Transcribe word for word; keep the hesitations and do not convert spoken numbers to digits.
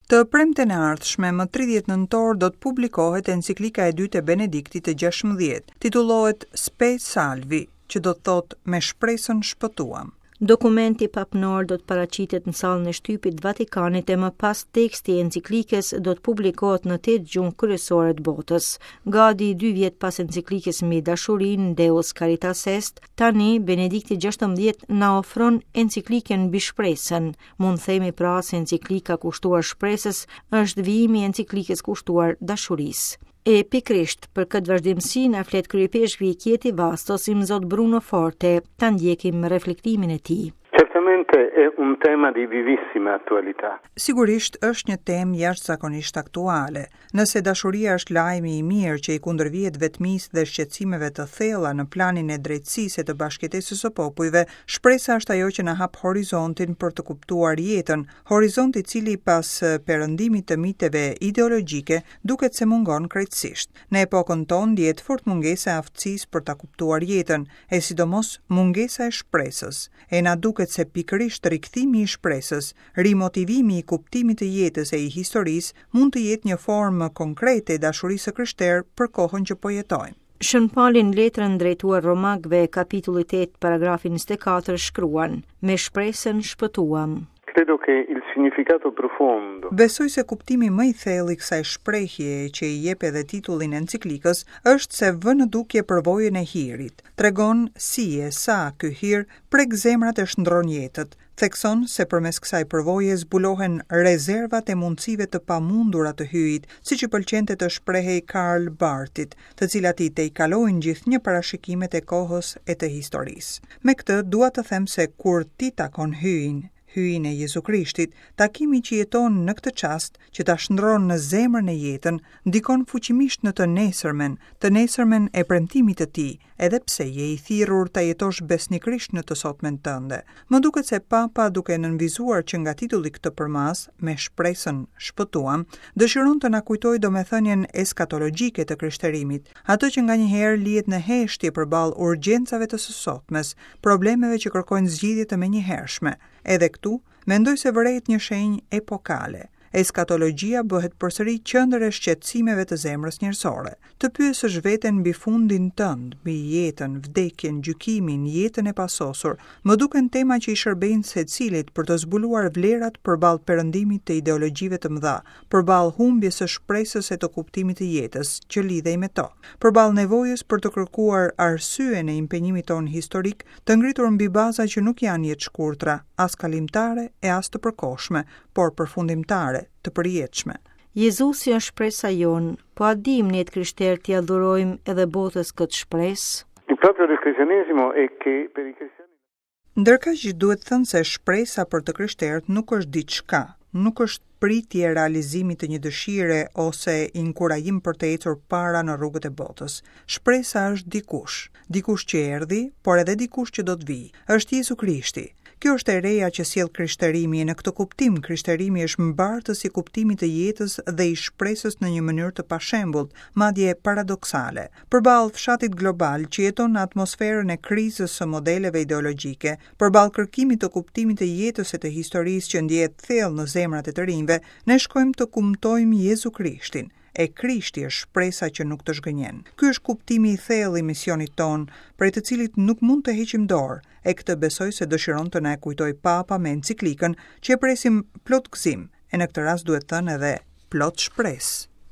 Të premten e ardhshme, më tridhjetë nëntor, do të publikohet enciklika e dytë e Benediktit të gjashtëmbëdhjetë. Titullohet Spe Salvi, që do të thotë me shpresën shpëtuam. Dokumenti papnor do të paraqitet në sallën e shtypit të Vatikanit e më pas teksti i enciklikës do të publikohet në tetë gjuhë kryesore të botës. Gati dy vjet pas enciklikës mbi dashurinë Deus Caritas Est, tani Benedikti gjashtëmbëdhjetë na ofron enciklikën mbi shpresën. Mund themi pra se enciklika kushtuar shpresës është vijimi i enciklikës kushtuar dashurisë. E pikërisht për këtë vazhdimësi na flet kryepeshkvi i Chieti Vastos, Imzot Bruno Forte, ta ndjekim reflektimin e tij. Certamente è un tema di vivissima attualità. Sigurisht është një temë jashtëzakonisht aktuale. Nëse dashuria është lajmi i mirë që i kundërvihet vetmisë dhe shqetësimeve të thella në planin e drejtësisë e të bashkëjetesës së popujve, shpresa është ajo që na hap horizontin për të kuptuar jetën, horizont i cili pas perëndimit të miteve ideologjike duket se mungon krejtësisht. Në epokën tonë ndihet fort mungesa e aftësisë për ta kuptuar jetën, e sidomos mungesa e shpresës. E na duket se pikërisht rikthimi i shpresës, rimotivimi i kuptimit të jetës e i historisë mund të jetë një formë konkrete e dashurisë së krishterë për kohën që po jetojmë. Shën Pali në letrën drejtuar Romakëve, kapitulli tetë, paragrafi njëzet e katër, shkruan: Me shpresën shpëtuam. Credo che il significato profondo. Besoj se kuptimi më i thellë i kësaj shprehjeje që i jep edhe titullin enciklikës është se vë në dukje përvojën e hirit. Tregon si e sa ky hir prek zemrat e shndron jetët. Thekson se përmes kësaj përvoje zbulohen rezervat e mundësive të pamundura të hyjit, siç i pëlqente të shprehej Karl Barthit, të cilat i tejkalojnë gjithnjë parashikimet e kohës e të historisë. Me këtë dua të them se kur ti takon hyjin, hyjin e Jezu Krishtit, takimi që jeton në këtë çast, që ta shndron në zemrën e jetën, ndikon fuqimisht në të nesërmen, të nesërmen e premtimit të tij, edhe pse je i thirrur ta jetosh besnikërisht në të sotmen tënde. Më duket se Papa, duke nënvizuar që nga titulli këtë përmas, me shpresën shpëtuam, dëshiron të na kujtojë domethënien eskatologjike të krishterimit, atë që nganjëherë lihet në heshtje përballë urgjencave të së sotmes, problemeve që kërkojnë zgjidhje të menjëhershme. Edhe këtu, mendoj se vërehet një shenjë epokale. Eskatologjia bëhet përsëri qendër e shqetësimeve të zemrës njerëzore. Të pyesësh veten mbi fundin tënd, mbi jetën, vdekjen, gjykimin, jetën e pasosur, më duken tema që i shërbejnë secilit për të zbuluar vlerat përballë perëndimit të ideologjive të mëdha, përballë humbjes së shpresës e të kuptimit të jetës që lidhej me to, përballë nevojës për të kërkuar arsyen e impenjimit ton historik, të ngritur mbi baza që nuk janë jetëshkurtra, as kalimtare e as të përkohshme, por përfundimtare, të përjetshme. Jezusi është shpresa jonë, po a dim ne të krishterë t'ia dhurojmë edhe botës këtë shpresë? Il proprio del cristianesimo è che per i cristiani Ndërkaq duhet thënë se shpresa për të krishterët nuk është diçka, nuk është pritje e realizimit të një dëshire ose inkurajim për të ecur para në rrugët e botës. Shpresa është dikush, dikush që erdhi, por edhe dikush që do të vijë. Është Jezu Krishti. Kjo është e reja që sjell krishterimi, e në këtë kuptim krishterimi është mbartës i kuptimit të jetës dhe i shpresës në një mënyrë të pashembullt, madje paradoksale. Përballë fshatit global që jeton në atmosferën e krizës së modeleve ideologjike, përballë kërkimit të kuptimit të jetës e të historisë që ndjehet thellë në zemrat e të rinjve, ne shkojmë të kumtojmë Jezu Krishtin. E Krishti është shpresa që nuk të zhgënjen. Ky është kuptimi i thellë i misionit ton, prej të cilit nuk mund të heqim dorë, e këtë besoj se dëshiron të na e kujtoj Papa me enciklikën që e presim plot gëzim, e në këtë rast duhet thënë edhe plot shpresë.